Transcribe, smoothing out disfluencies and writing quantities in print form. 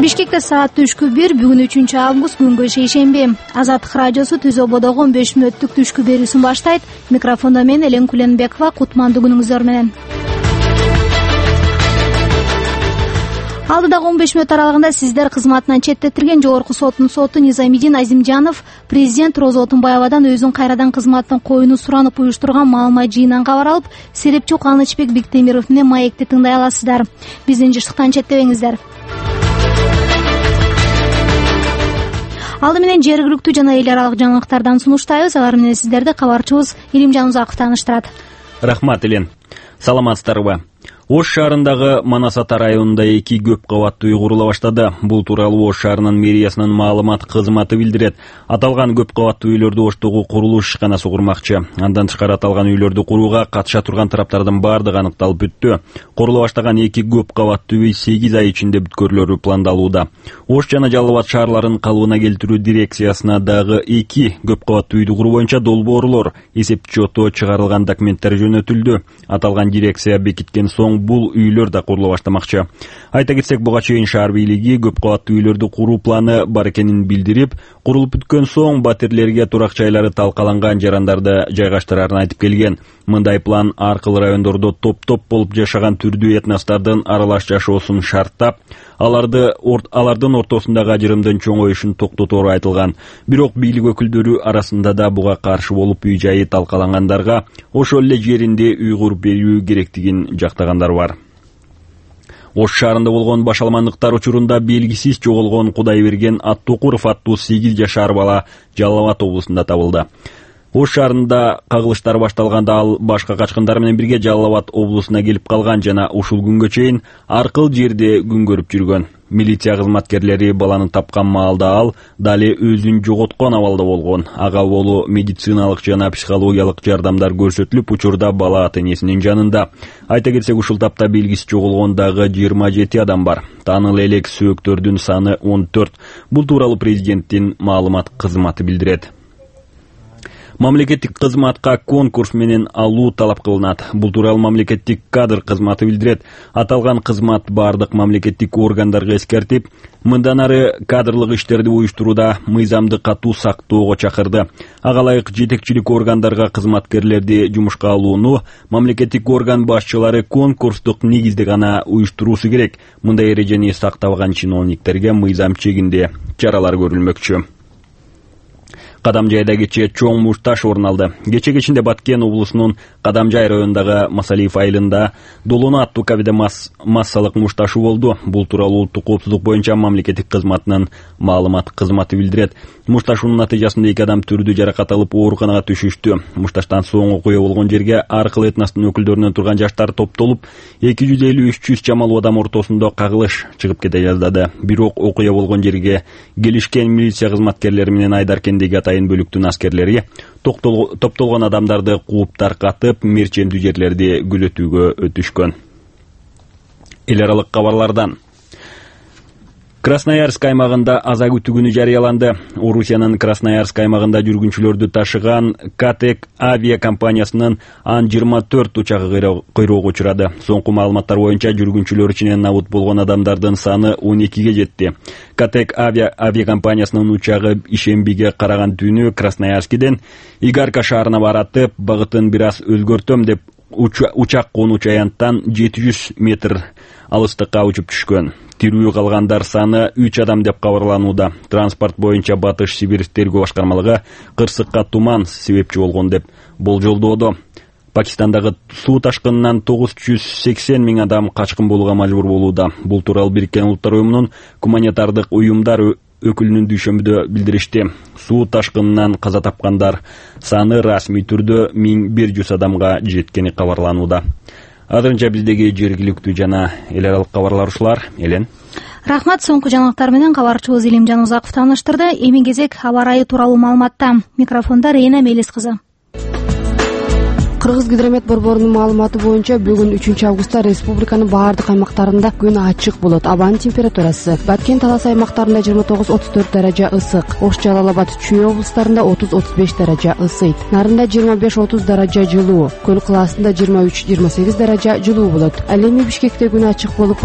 Бишкекте саат түшкү 1, бүгүн 3-август, күнгө шейшемби. Азаттык радиосу Түз ободогу 15 мүнөттүк түшкү берүүсүн баштайт. Микрофондо мен Элен Куленбекова. Кутмандуу күнүңүздөр менен. Алдыдагы 15 мүнөт аралыгында сиздер кызматынан четтетилген Жогорку соттун соту Низамидин Азимжанов президент Роза Отунбаевадан өзүн кайрадан кызматтан коюуну суранып уюштурган маалымат жыйынынан кабар алып, серепчи Канычбек Биктемиров менен маекти тыңдай аласыздар. Биздин жыштыктан четтебеңиздер. Алды менен жергиликтүү жана эл аралык жаңылыктардан сунуштайбыз. Алар менен сиздерди кабарчыбыз Илимжан Узаков тааныштырат. Рахмат, Элен. Саламатсыздарбы? Ош шаарындагы Манас Ата районунда 2 көп кабаттуу үй курула баштады. Бул тууралуу Ош шаарынын мэриясынын маалымат кызматы билдирет. Аталган көп кабаттуу үйлөрдү Оштогу курулуш ишканасы курмакчы. Андан тышкары аталган үйлөрдү курууга катыша турган тараптардын бардыгы аныкталып бүттү. Курулуп баштаган 2 көп кабаттуу үй 8 ай ичинде бүткөрүлөрү пландалууда. Ош жана Жалал Абад шаарларын калыбына келтирүү дирекциясына дагы 2 көп кабаттуу үйдү куруу боюнча долбоорлор, эсептчоту чыгарылган документтер жөнөтүлдү. Аталган дирекция бекиткен соң бул үйлөр да курулуп баштамакчы. Айта кетсек, буга чейин шаар бийлиги көп кабаттуу үйлөрдү куруу планы бар экенин билдирип, курулуп бүткөн соң батирлерге турак жайлары талкаланган жарандарды жайгаштырарын айтып келген. Мындай план аркылуу райондордо топ-топ болуп жашаган түрдүү этностордун аралаш жашоосун шарттап, алардын ортосундагы ажырымдын чоңоюшун токтотору айтылган. Бирок бийлик өкүлдөрү арасында да буга каршы болуп, үй жайы талкалангандарга ошол эле жеринде үй куруп берүү керектигин жактагандар бар. Ош шаарында болгон башаламандыктар учурунда белгисиз жоголгон Кудайберген Аттокуров аттуу 8 жашар бала Жалал Абад облусунда табылды. Ош шаарында кагылыштар башталганда ал башка качкындар менен бирге Жалал Абад облусуна келип калган жана ушул күнгө чейин аркыл жерде күн көрүп жүргөн. Милиция кызматкерлери баланы тапкан маалда ал дали өзүн жоготкон абалда болгон. Ага болуу медициналык жана психологиялык жардамдар көрсөтүлүп, учурда бала ата-энесинин жанында. Айта кетсек, ушул тапта белгиси жоголгондагы 27 адам бар. Тааныл элек сөөктөрдүн саны 14. Бул тууралуу президенттин маалымат кызматы билдирет. Мамлекеттик кызматка конкурс менен алуу талап кылынат. Бул тууралуу мамлекеттик кадр кызматы билдирет. Аталган кызмат бардык мамлекеттик органдарга эскертип, мындан ары кадрлык иштерди уюштурууда мыйзамды катуу сактоого чакырды. Ага ылайык жетекчилик органдарга кызматкерлерди жумушка алууну мамлекеттик орган башчылары конкурстук негизде гана уюштуруусу керек. Мындай эрежени сактабаган чиновниктерге мыйзам чегинде чаралар көрүлмөкчү. Кадамжайда кечээ чоң мушташ орун алды. Кечээ кечинде Баткен облусунун Кадамжай районундагы Масалиев айылында Долону аттуу кабиде массалык мушташуу болду. Бул тууралуу улуттук коопсуздук боюнча мамлекеттик кызматынын маалымат кызматы билдирет. Мушташуунун натыйжасында 2 адам түрдүү жаракат алып ооруканага түшүштү. Мушташтан соң окуя болгон жерге аркыл этностун өкүлдөрүнөн турган жаштар топтолуп, 250-300 чамалуу адам ортосунда кагылыш чыгып кете жаздады. Бирок окуя болгон жерге келишкен милиция кызматкерлери менен Айдаркендеги атайын бөлүктүн аскерлери топтолгон адамдарды кууп таркатып, мерчемдүү жерлерди күзөтүүгө өтүшкөн. Эл аралык кабарлардан. Красноярск аймагында аза күтүү күнү жарыяланды. Орусиянын Красноярск аймагында жүргүнчүлөрдү ташыган Катек авиакомпаниясынын Ан-24 учагы кыйроого учурады. Соңку маалыматтар боюнча жүргүнчүлөр ичинен набут болгон адамдардын саны 12ге жетти. Катек авиакомпаниясынын учагы ишембиге караган түнү Красноярскиден Игарка шаарына баратып, багытын бир аз өзгөртөм деп учак конучу аянттан 700 метр алыстыкка учуп түшкөн. Тирүү калгандар саны 3 адам деп кабарланууда. Транспорт боюнча Батыш Сибирь тергөө башкармалыгы кырсыкка туман себепчи болгон деп болжолдоодо. Пакистандагы суу ташкынынан 980 миң адам качкын болууга мажбур болууда. Бул тууралуу Бириккен Улуттар уюмунун гуманитардык уюмдар өкүлүнүн дүйшөмбүдө билдиришти. Суу ташкынынан каза тапкандар саны расмий түрдө 1100 адамга жеткени кабарланууда. Азырынча биздеги жергиликтүү жана эл аралык кабарлар ушулар. Элен. Рахмат, соңку жаңылыктар менен кабарчыбыз Илимжан Узаков тааныштырды. Эми кезек аба ырайы тууралуу маалыматта. Микрофонда Рейна Мелис кызы. Кыргызгидромет борборунун маалыматы боюнча бүгүн 3-августта республиканын баардык аймактарында күн ачык болот. Абанын температурасы Баткен Талас аймактарында 29-34 даража ысык, Ош Жалал Абад Чүй облустарында 30-35 даража ысыйт. Нарында 25-30 даража жылуу, Көл кылаасында 23-28 даража жылуу болот. Ал эми Бишкекте күн ачык болуп